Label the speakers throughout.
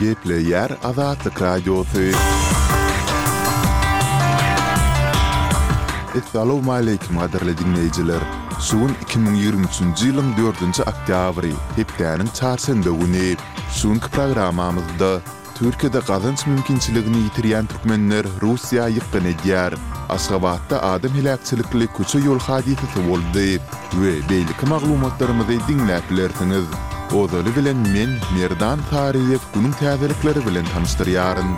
Speaker 1: Gepleýär Azatlyk Radiosy. Essalawmaleýkim gadyrly diňleýjiler! Şu gün 2023-nji ýylyň dördünji oktýabry, hepdäniň çarşenbe güni. Şu günki programmamyzda Türkiýede gazanç mümkinçiligini ýitirýän türkmenler Russiýa ýykgyn edýär. Aşgabatda adam heläkçilikli köçe-ýol hadysasy boldy we beýleki maglumatlarymyzy diňläp bilersiňiz. Ozaly bilen men, Merdan Saryýew günüň täzelikleri bilen tanyşdyrýaryn.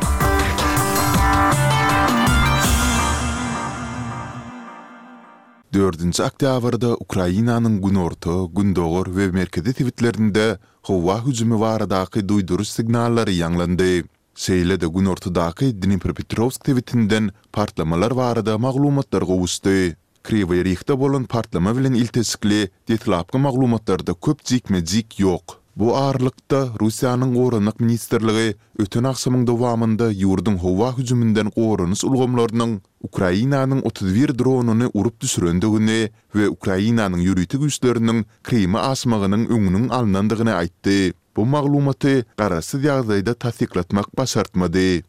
Speaker 1: Dördünji oktýabrda Ukrainanyň günorta, gündogar we merkezi sebitlerinde howa hüjümi baradaky duýduryş signallary ýaňlandy. Şeýle-de günortadaky Dnipropetrowsk sebitinden partlamalar barada maglumatlar gowuşdy. Kriwoý Rihde bolan partlama bilen ilteşikli deslapky maglumatlarda köp jikme-jik ýok. Bu aralykda, Russiýanyň Goranmak ministrligi öten agşamyň dowamynda ýurduň howa hüjüminden goranyş ulgamlarynyň Ukrainanyň 31 dronyny urup düşürendigini we Ukrainanyň ýörite güýçleriniň Kryma aşmagynyň öňüniň alnandygyny aýtdy. Bu maglumaty garaşsyz ýagdaýda tassyklatmak başartmady.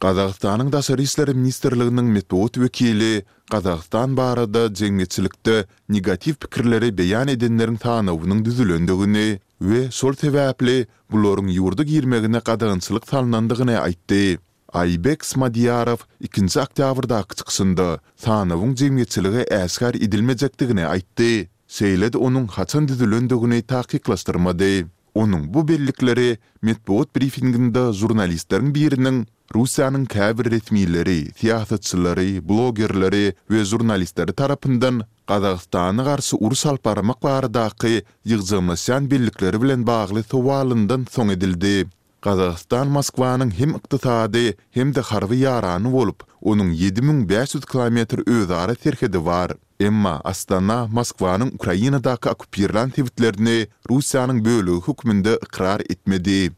Speaker 1: Gazagystanyň Daşary işler ministrliginiň metbugat wekili Gazagystan barada jemgyýetçilikde negatiw pikirleri beýan edenleriň sanawynyň düzülendigini we şol sebäpli bularyň ýurda girmegine gadagançylyk salnandygyny aýtdy. Aýbek Smadiýarow ikinji oktýabrdaky çykyşynda sanawyň jemgyýetçilige äşgär edilmejekdigini aýtdy, şeýle-de onuň haçan düzülendigini takyklaşdyrmady. Onuň bu bellikleri metbugat brifinginde žurnalistleriň biriniň Russiýanyň käbir resmileri, syýasatçylary, blogerleri we žurnalistleri tarapyndan Gazagystana garşy uruş alyp barmak baradaky ýygjamlaşýan bellikleri bilen bagly sowalyndan soň edildi. Gazagystan Moskwanyň hem ykdysady, hem-de harby ýarany bolup, onuň 7500 kilometr özara serhedi bar. Emma Astana Moskwanyň Ukrainadaky okkupirlän sebitlerini Russiýanyň bölegi hökmünde ykrar etmedi.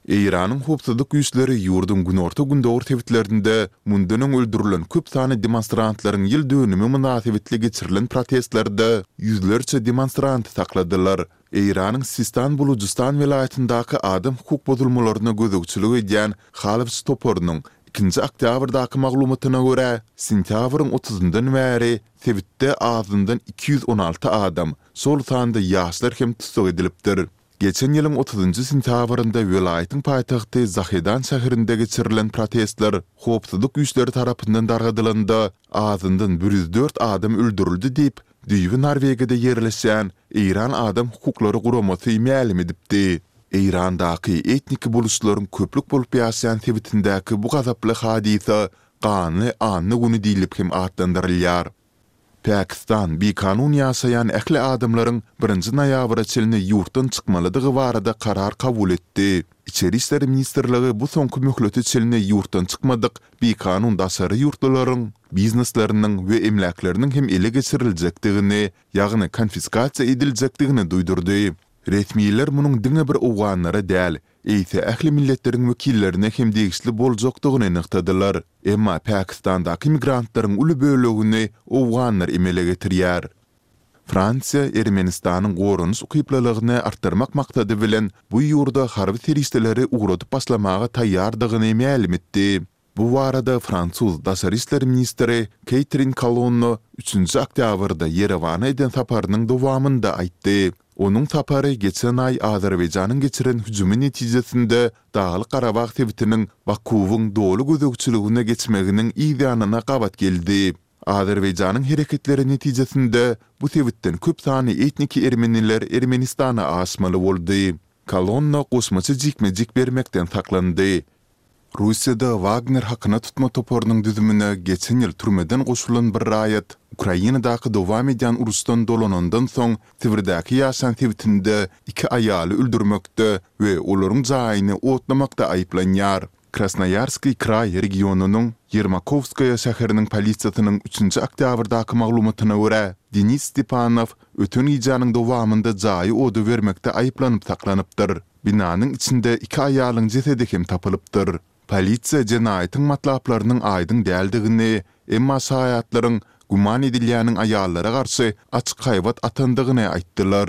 Speaker 1: Eýranyň howpsuzlyk güýçleri ýurduň günorta-gündogar sebitlerinde mundan öň öldürilen köp sanly demonstrantlaryň ýyl dönümi mynasybetli geçirilen protestlerde ýüzlerçe demonstranty sakladylar. Eýranyň Sistan-Bulujystan welaýatyndaky adam hukuk bozulmalaryna gözegçilik edýän Halwç toparynyň ikinji oktýabrdaky maglumatyna görä, sentýabryň otuzyndan bäri sebitde azyndan 216 adam, şol sanda ýaşlar hem tussag edilipdir. Geçen ýylyň otuzynjy sentýabrynda welaýatyň paýtagty Zahedan şäherinde geçirilen protestler howpsuzlyk güýçleri tarapyndan dargadylanda, azyndan 104 adam öldürildi diýip, Düýbi Norwegiýada ýerleşýän Eýran adam hukuklary guramasy mälim edipdi. Eýrandaky etniki buluçlaryň köplük bolup ýaşaýan sebitindäki bu gazaply hadysa Ganly anna güni diýlip hem atlandyrylýar. Pakistan bikanun ýaşaýan ähli adamlaryň birinji noýabra çenli ýurtdan çykmalydygy barada karar kabul etdi. Içeri işler ministrligi bu soňky möhlete çenli ýurtdan çykmadyk bikanun daşary ýurtlularyň biznesleriniň we emläkleriniň hem ele geçiriljekdigini, ýagny konfiskasiýa ediljekdigini duýdurdy. Resmiler munuň diňe bir owganlara däl, eýse ähli milletleriň wekillerine hem degişli boljakdygyny nygtadylar. Emma Pakistandaky migrantlaryň uly bölegini owganlar emele getirýär. Fransiýa Ermenistanyň goranyş ukyplylygyny artdyrmak maksady bilen bu ýurda harby serişdeleri ugradyp başlamaga taýýardygyny mälim etdi. Bu barada fransuz daşary işler ministri Keýtrin Kolonno üçünji oktýabrda Ýerewana eden saparynyň dowamynda aýtdy. Onuň sapary geçen aý Azerbaýjanyň geçiren hüjümi netijesinde Daglyk-Garabag sebitiniň Bakuwyň doly gözegçiligine geçmeginiň yzýanyna gabat geldi. Azerbaýjanyň hereketleri netijesinde bu sebitden köp sanly etniki ermeniler Ermenistana aşmaly boldy. Kolonna goşmaça jikme-jik bermekden saklandy. Russiýada Wagner hakyna tutma toparynyň düzümine geçen ýyl türmeden goşulan bir raýat Ukrainadaky dowam edýän uruşdan dolanandan soň Sibirdäki ýaşan sebitinde iki aýaly öldürmekde we olaryň jaýyny otlamakda aýyplanýar. Krasnoýarskiý kraý regionynyň Ýermakowskaýa şäheriniň polisiýasynyň üçünji oktýabrdaky maglumatyna görä, Denis Stepanow öten gijäniň dowamynda jaýy oda bermekde aýyplanyp saklanypdyr. Binanyň içinde iki aýalyň jesedi hem tapylypdyr. Polisiýa jenaýatyň matlaplarynyň aýdyň däldigini, emma şaýatlaryň güman edilýäniň aýallara garşy açyk haýbat atandygyny aýtdylar.